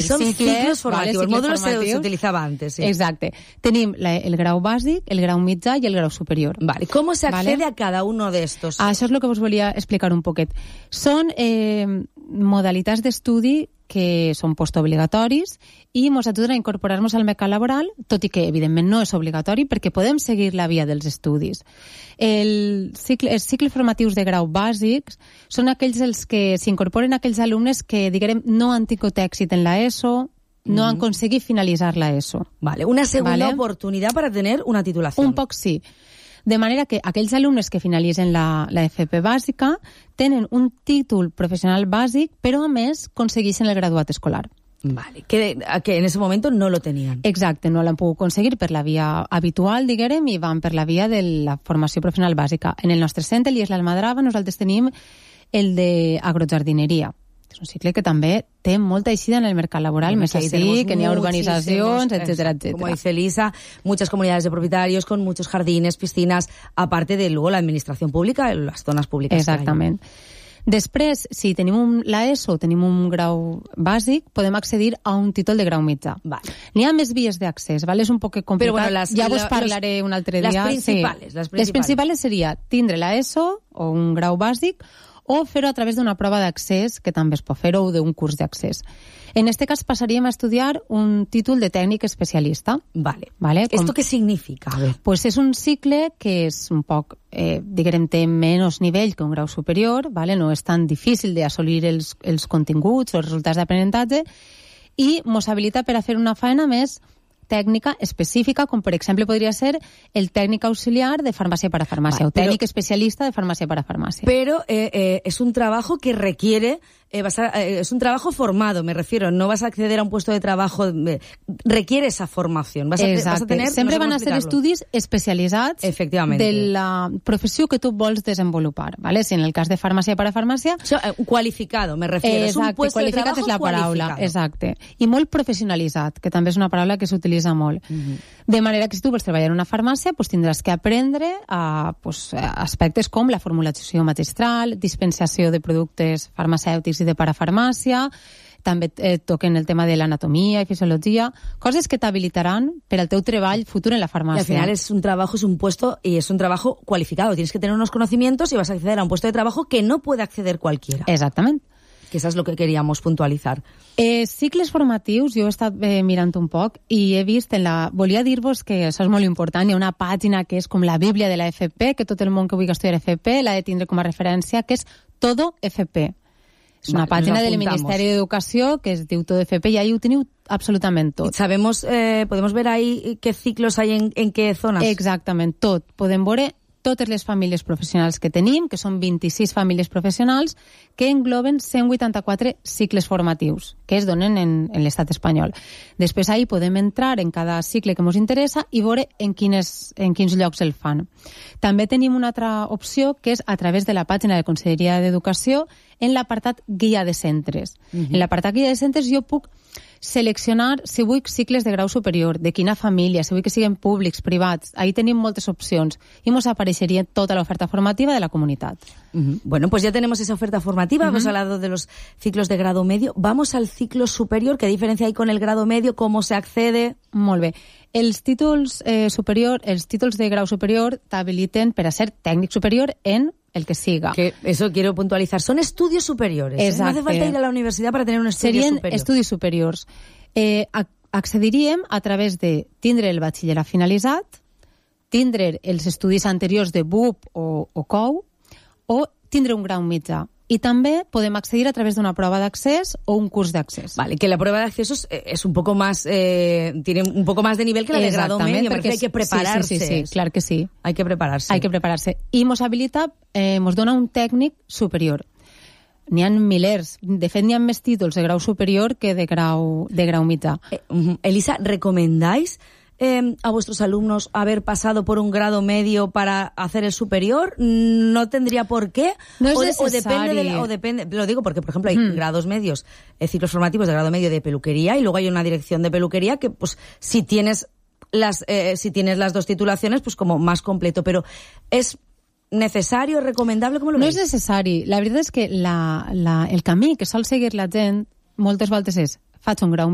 Son ciclos formativos, módulos se utilizaba antes. Sí. Exacte. Tenim el grau bàsic, el grau mitjà i el grau superior. Vale. ¿Cómo se accede a cada uno de estos? Això és el que us volia explicar un poquet. Són modalitats d'estudi que són postobligatoris i ens ajuden a incorporar-nos al mercat laboral, tot i que, evidentment, no és obligatori perquè podem seguir la via dels estudis. Els cicles formatius de grau bàsics són aquells els que s'incorporen aquells alumnes que, diguem, no han tingut èxit en l'ESO, no han aconseguit finalitzar l'ESO. Vale, una segunda oportunidad para tener una titulación. Un poc sí. De manera que aquells alumnes que finalitzen la FP bàsica tenen un títol professional bàsic, però a més aconsegueixen el graduat escolar. Vale, que en ese momento no lo tenían. Exacte, no l'han pogut aconseguir per la via habitual, diguem, i van per la via de la formació professional bàsica. En el nostre centre, l'IES l'Almadrava, nosaltres tenim el d'agrojardineria. És un cicle que també té molta eixida en el mercat laboral, més així, que n'hi ha urbanizacions, etcétera, etcétera. Como dice Elisa, muchas comunidades de propietarios con muchos jardines, piscinas, aparte de luego la administración pública, las zonas públicas. Exactament. Després, si tenim l'ESO, tenim un grau bàsic, podem accedir a un títol de grau mitjà. Vale. N'hi ha més vies d'accés, ¿vale? És un poc complicat. Però, bueno, ja vos parlaré un altre dia. Les principals seria tindre l'ESO o un grau bàsic o fer-ho a través d'una prova d'accés, que també es pot fer, o d'un curs d'accés. En este cas passaríem a estudiar un títol de tècnic especialista. Vale. ¿Esto qué significa? A ver. Pues és un cicle que és un poc, diguem, té menys nivell que un grau superior, vale? No és tan difícil d'assolir els continguts o els resultats d'aprenentatge, i ens habilita per a fer una feina més tècnica específica, com per exemple podria ser el tècnic auxiliar de farmàcia para farmàcia, o tècnic especialista de farmàcia para farmàcia. Pero es un trabajo que requiere, es un trabajo formado, me refiero, no vas a acceder a un puesto de trabajo, requiere esa formación. Vas a tener, sempre van a ser estudis especialitzats de la professió que tu vols desenvolupar, ¿vale? Si en el cas de farmàcia para farmàcia... Qualificado, me refiero, és un puesto de trabajo és la paraula, exacte. I molt professionalitzat, que també és una paraula que s'utilitza molt. De manera que si tu vols treballar en una farmàcia, pues tindràs que aprendre aspectes com la formulació magistral, dispensació de productes farmacèutics i de parafarmàcia, també toquen el tema de l'anatomia i fisiologia, coses que t'habilitaran per al teu treball futur en la farmàcia. Y al final es un trabajo, es un puesto y es un trabajo cualificado. Tienes que tener unos conocimientos y vas a acceder a un puesto de trabajo que no puede acceder cualquiera. Exactament. Que eso es lo que queríamos puntualizar. Cicles formatius, jo he estat mirant un poc i he vist volia dir-vos que això és molt important, hi ha una pàgina que és com la Bíblia de la FP, que tot el món que vulgui estudiar FP l'ha de tindre com a referència, que és Todo FP. És una pàgina del Ministeri d'Educació que es diu Todo FP i ahí ho teniu absolutament tot. Sabemos, podemos ver ahí qué ciclos hay en qué zonas. Exactament, tot. Podem veure totes les famílies professionals que tenim, que són 26 famílies professionals, que engloben 184 cicles formatius que es donen en l'estat espanyol. Després ahí podem entrar en cada cicle que ens interessa i veure en quins llocs el fan. També tenim una altra opció que és a través de la pàgina de Conselleria d'Educació en l'apartat Guia de Centres. En l'apartat Guia de Centres jo puc seleccionar si vull cicles de grau superior, de quina família, si vull que siguin públics, privats. Ahí tenim moltes opcions i ens apareixeria tota l'oferta formativa de la comunitat. Bueno, pues ya tenemos esa oferta formativa, hemos hablado de los ciclos de grado medio. Vamos al ciclo superior, ¿qué diferencia hay con el grado medio? ¿Cómo se accede? Molt bé. Els títols els títols de grau superior t'habiliten per a ser tècnic superior en el que siga. Que eso quiero puntualizar. Son estudios superiores. No hace falta ir a la universidad para tener un estudio superior. Serien estudis superiors. Accediríem a través de tindre el batxillerat finalitzat, tindre els estudis anteriors de BUP o COU, o tindre un grau mitjà. Y también podemos acceder a través de una prueba de acceso o un curso de acceso. Vale, que la prueba de acceso es un poco más, tiene un poco más de nivel que la de grado medio, porque hay que prepararse. Sí, claro que sí. Hay que prepararse. Hay que prepararse. Y nos habilita, nos dona un tècnic superior. N'hi ha milers. De fet, n'hi ha més títols de grau superior que de grau mitjà. Elisa, ¿recomendáis a vuestros alumnos haber pasado por un grado medio para hacer el superior? ¿No tendría por qué? No es necesario. O depende, lo digo porque, por ejemplo, hay grados medios, ciclos formativos de grado medio de peluquería, y luego hay una dirección de peluquería que, pues, si tienes las dos titulaciones, pues como más completo. Pero es necessari o recomendable? Com lo veus? No és necessari. La veritat és que el camí que sol seguir la gent moltes voltes és faig un grau